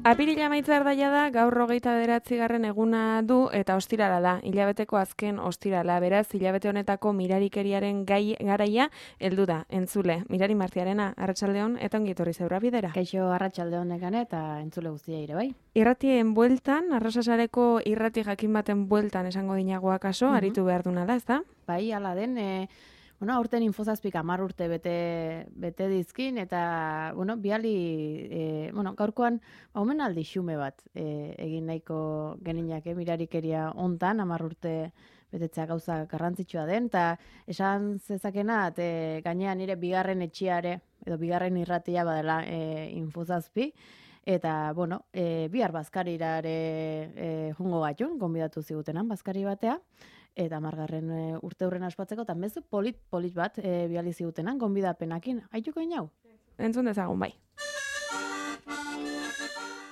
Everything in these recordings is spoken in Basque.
Apirila amaitzear daia da, gaur 29. eguna du eta ostirala da, hilabeteko azken ostirala, beraz, hilabete honetako mirarikeriaren garaia heldu da, entzule. Mirari Martiarena, arratsaldeon eta ongi etorri zeura bidera. Kaixo arratsaldeon nekane eta entzule guztia ere bai. Irratien bueltan, Arrasasareko irrati jakin baten bueltan esango dinagoa kaso, aritu behar duna da, ezta? Bai, hala den, aurten Infozazpik 10 urte bete dizkin, eta, biali, gaurkoan, omenaldi xume bat egin nahiko geninak, mirarikeria hontan, 10 urte betetzea gauza garrantzitsua den, eta esan zezakena, gainean nire bigarren etxiare, edo bigarren irratia badela Infozazpi, eta, bihar bazkarirare jungo gatun, gonbidatu zigutenan bazkari batea, eta 10. urte hurren aspatzeko, eta mezu polit bat biali zigutenan, gonbidapenakin. Aituko inau? Entzun dezagun bai.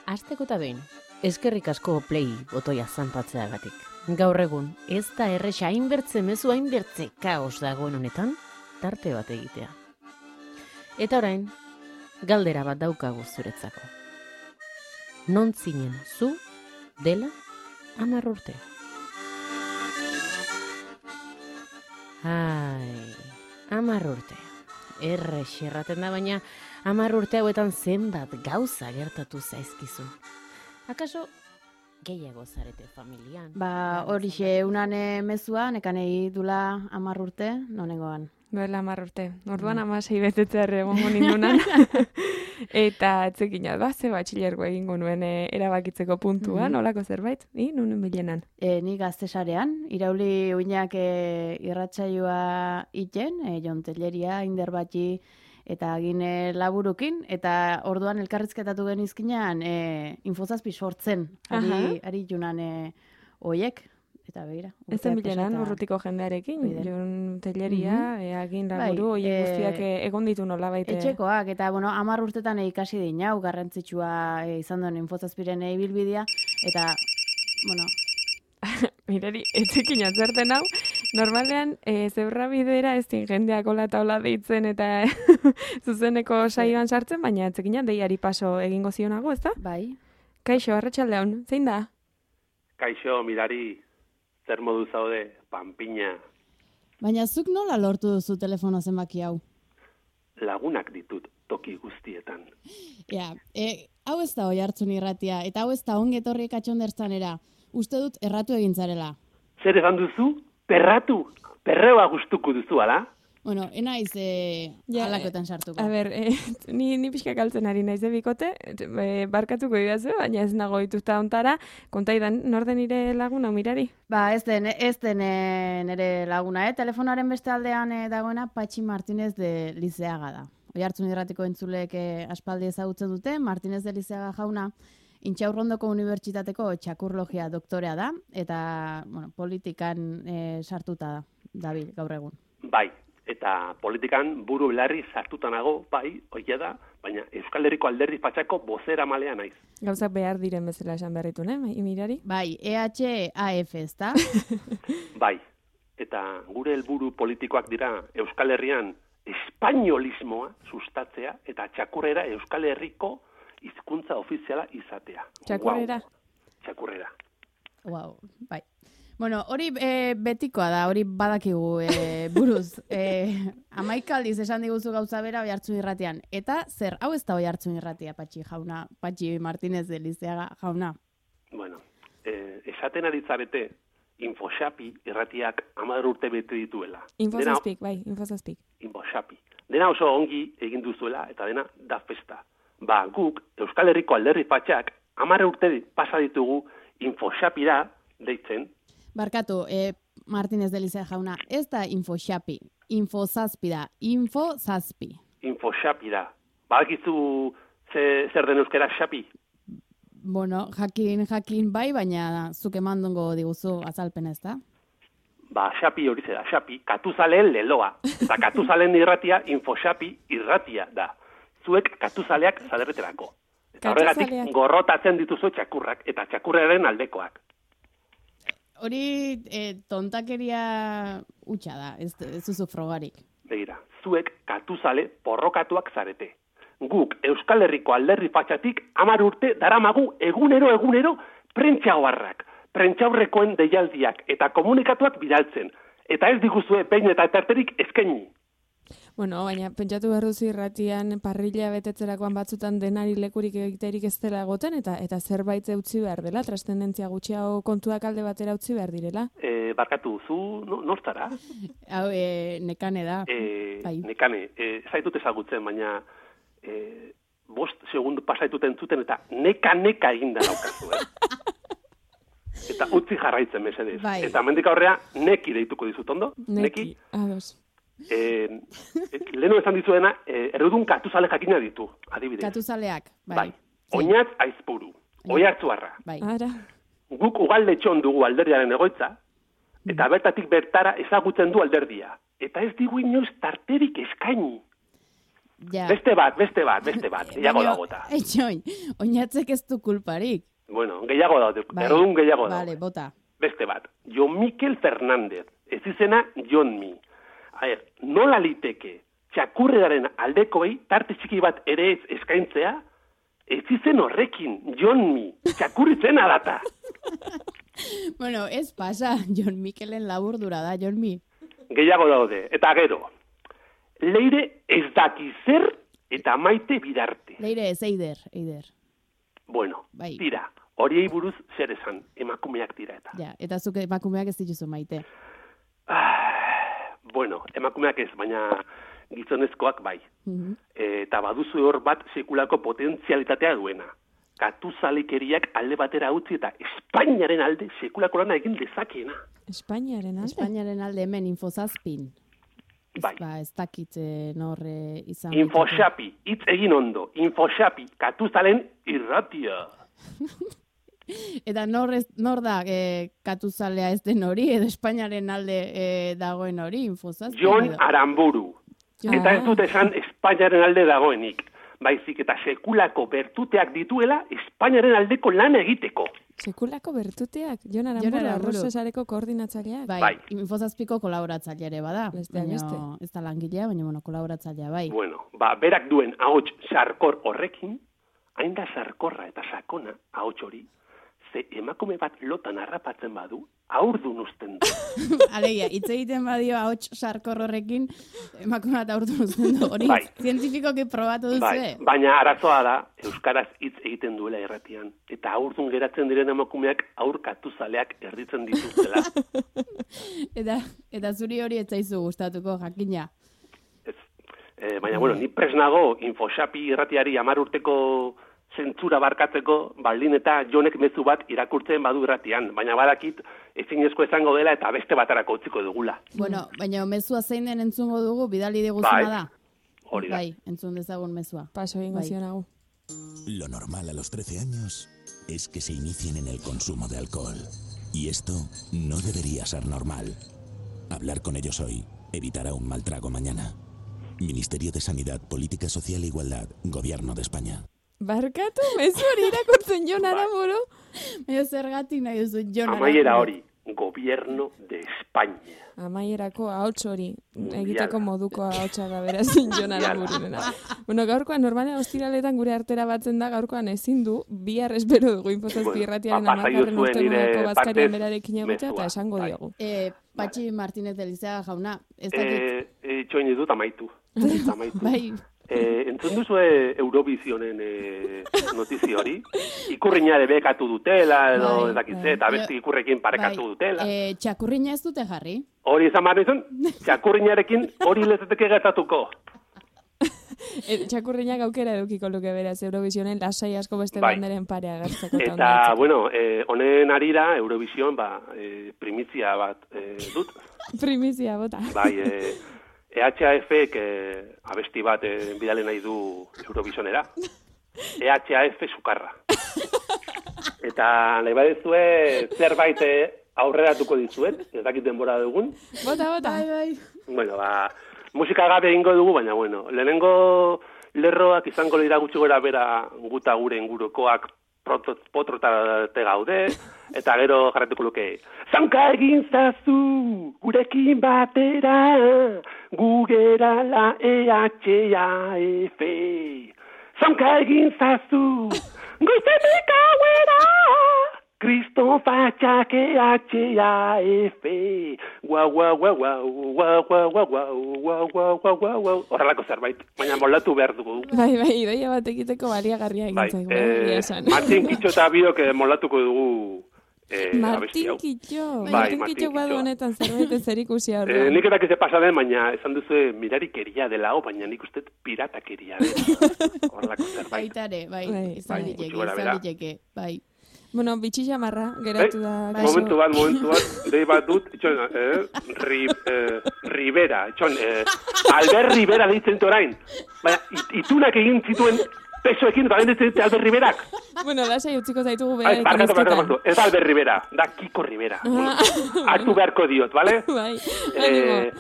Asteko eta behin, eskerrik asko play botoia zanpatzeagatik. Gaur egun, ez da erresa hainbertze mezu hainbertze kaos dagoen honetan, tarte bat egitea. Eta orain, galdera bat daukagu zuretzako. Non zinen zu dela 10 urte? Ai, 10 urte. Erraten da, baina 10 urte hauetan zenbat gauza gertatu zaizkizu. Akaso gehiago zarete familian? Horixe unane mezua, nekanei dula 10 urte, nonengoan. Duela 10 urte. Orduan 16 betetzear egongo nindunan. Eta etzekin ze batxilergo egingo nuen erabakitzeko puntuan, olako zerbait, nunen bilenan. Ni Gaztesarean, irauli uinak irratsaioa iten, Jon Telleria, Inder Batxi, eta gine laburukin, eta orduan elkarrizketatu genizkinan Infozazpi sortzen, ari junan oiek. Eta begira. Ez zen bilenan, urrutiko jendearekin, Jon Telleria, agin laburu, oie guztiak egon ditu nola baite. Etxekoak, eta 10 urtetan ikasi dinau, garrantzitsua izan duen Infozazpiren ibilbidea, eta, Mirari, etxekin atzerten hau, normalean, zeurra bidera ez din jendeak ola eta ola deitzen eta zuzeneko saioan sartzen, baina etxekin deiari paso egingo zionago, ez da? Bai. Kaixo, arratsaldeon, zein da? Kaixo, Mirari, zer modu zaude, panpina. Baina zuk nola lortu duzu telefono zenbaki hau? Lagunak ditut toki guztietan. Hau ez da Oihartzun irratia, eta hau ez da ongetorriek atxondertzanera. Uste dut erratu egintzarela. Zer egan duzu? Perratu? Perreoa gustuko duzu, ala? Enaiz alakoetan sartuko. A ber, ni pixka kaltzen ari naiz bikote, barkatuko idazu, baina ez nago dituzta ontara, kontaidan, norden nire laguna, Mirari? Ez den nire laguna, telefonaren beste aldean dagoena Patxi Martinez de Lizeaga da. Oihartzun irratiko entzuleek aspaldi ezagutzen dute, Martinez de Lizeaga jauna, Intxaurrondoko Unibertsitateko txakurlogia doktorea da, eta politikan sartuta dabil gaur egun. Bai, eta politikan buru belarri sartutanago, bai, oia da, baina Euskal Herriko Alderdi Patxako bozera malea naiz. Gauzak behar diren bezala esan berritu, Mirari? Bai, EHAF, ez da? Bai, eta gure helburu politikoak dira Euskal Herrian espainolismoa sustatzea eta txakurrera Euskal Herriko hizkuntza ofiziala izatea. Txakurrera? Wow. Txakurrera. Wow, bai. Hori betikoa da, hori badakigu buruz. 11 aldiz esan diguzu gauza bera Oihartzun irratian. Eta zer, hau ez da Oihartzun irratia, Patxi Martinez de Lizeaga jauna? Esaten aditzarete, Infoxapi irratiak 10 urte bete dituela. Infozazpik, bai, Infozazpik. Infoxapi. Dena oso ongi egin duzuela, eta dena da festa. Guk, Euskal Herriko Alderdi Patxak, 10 urte pasa ditugu Infoxapira deitzen. Barkatu, Martinez de Lizeaga jauna, ez da Infoxapi, Infozazpi da, Infozazpi. Infoxapi da. Badakizu zer den euskera xapi? Jakin bai, baina zuk emandongo diguzu azalpena, ez da? Xapi hori zera, xapi, katuzaleen leloa. Eta katuzaleen irratia, Infoxapi irratia da. Zuek katuzaleak zaderreterako. Eta horregatik gorrotatzen dituzu txakurrak, eta txakurraren aldekoak. Hori tontakeria hutsa da, ez duzu frogarik. Begira, zuek katuzale porrokatuak zarete. guk Euskal Herriko alderdi fatxatik 10 urte daramagu egunero prentxaoarrak, prentxaurrekoen deialdiak eta komunikatuak bidaltzen. Eta ez diguzue behin eta etarterik eskaini. Bueno, baina pentsatu behar duzu irratian parrilla betetzerakoan batzutan denari lekurik egiterik ez dela egoten, eta zerbait utzi behar dela, trascendentzia gutxiago kontuak alde batera utzi behar direla. Barkatu, zu nortzara? Hau, nekane da. Nekane, zaitut ezagutzen, baina 5 segundu pasaituten zuten eta neka eginda daukazu, Eta utzi jarraitzen mesedez. Bai. Eta mendik aurrea neki deituko dizut, ondo? Neki. Ados. Lehenu esan dizuena, errudun katuzale jakina ditu, adibidez. Katuzaleak, bai. Oinatz aizpuru, oiartzuarra. Bai. Ara. Guk ugalde txon dugu alderdiaren egoitza, eta bertatik bertara ezagutzen du alderdia. Eta ez digu inoiz tarterik eskaini. Ja. Beste bat, gehiago dagota. Etxoin, oinatzek ez du kulparik. Bueno, gehiago daude, errudun gehiago daude. Vale, bota. Beste bat, Jon Mikel Fernández, ez izena Jon Mi. Nola liteke txakurreraren aldekoei tarte txiki bat ere ez eskaintzea, ez izen horrekin, Jon Mi, txakurritzen adata. Bueno, ez pasa, Jon Mikelen laburdura da, Jon Mi. Gehiago daude, eta gero, Leire ez daki zer eta Maite Bidarte. Leire ez, Eider. Bueno, bai. Tira, horiei buruz zer esan, emakumeak dira eta. Ja, eta zuk emakumeak ez dituzu Maite. Bueno, emakumeak ez, baina gizonezkoak bai. Eta baduzu hor bat sekulako potentzialitatea duena. Katuzalekeriak alde batera utzi eta Espainiaren alde sekulako lana egin dezakeena. Espainiaren alde? Espainiaren alde hemen Infozazpin. Bai. Ez dakit nor izan. Infoxapi, hitz egin ondo. Infoxapi, katuzalen irratia. Eta nor da katuzalea ez den hori, edo Espainiaren alde dagoen hori, Infozazpin? Jon Aramburu. Eta ez dut esan Espainiaren alde dagoenik. Baizik eta sekulako bertuteak dituela Espainiaren aldeko lana egiteko. Sekulako bertuteak? Jon Aramburu, Arrozesareko koordinatzaileak? Bai. Infozazpiko kolaboratzailea ere bada. Beste. Ez da langilea, baina kolaboratzailea bai. Bueno, berak duen ahots sarkor horrekin, hain da sarkorra eta sakona ahots hori, ze emakume bat lotan harrapatzen badu, aurdun uzten du. Alegia, hitz egiten badio ahots sarkor horrekin, emakume bat aurdun uzten du. Hori, bai. Zientifikoki probatu duzu, bai. Baina arazoa da, euskaraz hitz egiten duela erratian, eta aurdun geratzen diren emakumeak aur katuzaleak erditzen dituztela. eta zuri hori ez zaizu gustatuko, jakina. Ez. Baina, bueno, ni presnago Infoxapi irratiari 10 urteko zentzura barkatzeko, baldin eta Jonek mezu bat irakurtzen badu irratian, baina badakit ezinezko izango dela eta beste batarako utziko dugula. Bueno, baina mezua zein den entzungo dugu, bidali diguzuna da. Hori da. Bai, entzun dezagun mezua. Paso egingo zionagu. Lo normal a los 13 años es que se inicien en el consumo de alcohol. Y esto no debería ser normal. Hablar con ellos hoy evitará un mal trago mañana. Ministerio de Sanidad, Política Social e Igualdad, Gobierno de España. Barkatu, mezu hori irakurtzen Jon Aramburu. Baina zergatik nahi duzu Jon Aramburu. Amaiera hori, Gobierno de España. Amaierako ahots hori, egiteko moduko ahotsa da beraz Jon Arambururena. Bueno, gaurkoan normalean ostiraletan gure artera batzen da, gaurkoan ezin du, bihar espero dugu Infozazpi irratiaren 10. urteneko bazkarian berarekin egotea eta esango diogu. Patxi Martínez de Liceaga jauna, ez dakit. Txoin dut amaitu. Bai. Entzun duzu Eurovisionen notizio hori? Ikurriña bekatu dutela, edo edakitze, eta beste ikurrekin parekatu dutela. Txakurriña ez dute jarri? Hori izan behar nizun, txakurriñarekin hori lezeteke gertatuko. Txakurriñak aukera edukiko luke beraz Eurovisionen lasai asko beste banderen parea gertzeko. Eta, bueno, honen arira Eurovision, primizia bat dut. Primizia, bota. Bai, EHF-ek abesti bat bidale nahi du Eurovisionera. EHF sukarra. Eta nahi badezue zerbait aurreratuko dizuet, ez dakit denbora dugun. Bota. Bai. Bueno, musika gabe egingo dugu, baina bueno, lehenengo lerroak izango dira gutxi gora bera guta gure ingurukoak potrotate gaude, eta gero jarretuko luke. Zaunka egin zazu, gurekin batera, gugera la EHF. Zonka egin zazu, goizetik hauera, Kriston fatxak EHAF, horrelako zerbait, baina moldatu behar dugu. Bai, idoia bat egiteko baliagarria egin zaigu. Martin Kitxo eta biok moldatuko dugu Martin Kitxo. Martin Kitxo badu honetan zerbait zerikusia horrean. Nik erak eze pasaden, baina esan duzu mirarikeria dela, baina nik uste piratakeria dela. Horrelako zerbait. Baitare, izan liteke, bai. Bueno, bitxi jamarra, geratu da. Momentu bat, dei bat dut, Rivera, Albert Rivera deitzen orain. Baina, itunak egin zituen pesoekin, eta bendetzen Albert Riverak. Bueno, lasai utziko zaitugu behar barkatu. Ez Albert Rivera, da Kiko Rivera. Hartu beharko diot, bale? Bai,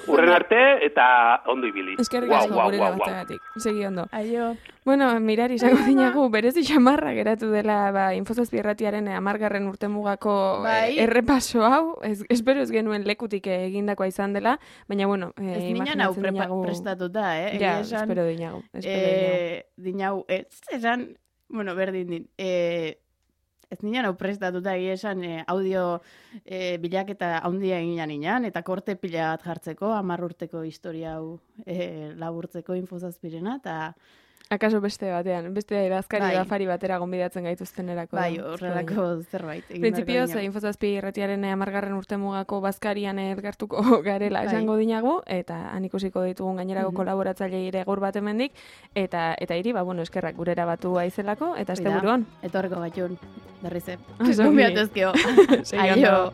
urren arte, eta ondo ibili. Eskerrik asko gurera batagatik. Segi ondo. Aio. Bueno, mirari, izango dinagu, berezi xamarra geratu dela Infozazpi Irratiaren 10. urtemugako errepaso hau. Espero ez genuen lekutik egindakoa izan dela, baina bueno, ez ninan hau prestatuta, Ja, espero dinagu. Dinagu, esan, bueno, berdin din, ez ninan hau prestatuta esan audio bilaketa handia eginan inan, eta korte pila bat jartzeko, 10 urteko historia hau laburtzeko Infozazpirena, eta akaso beste batean, beste idazkari edafari batera gonbidatzen gaituztenerako. Bai, horrelako zerbait. Printzipioz, Infozazpi Irratiaren 10. urtemugako bazkarian elkartuko garela esango dinagu, eta han ikusiko ditugun gainerako kolaboratzailei ere gaur bat hemendik, eta hiri, bueno, eskerrak gurera batu aizelako, eta asteburuan. Etorreko gaitun, berrize. Zonbi. Aio.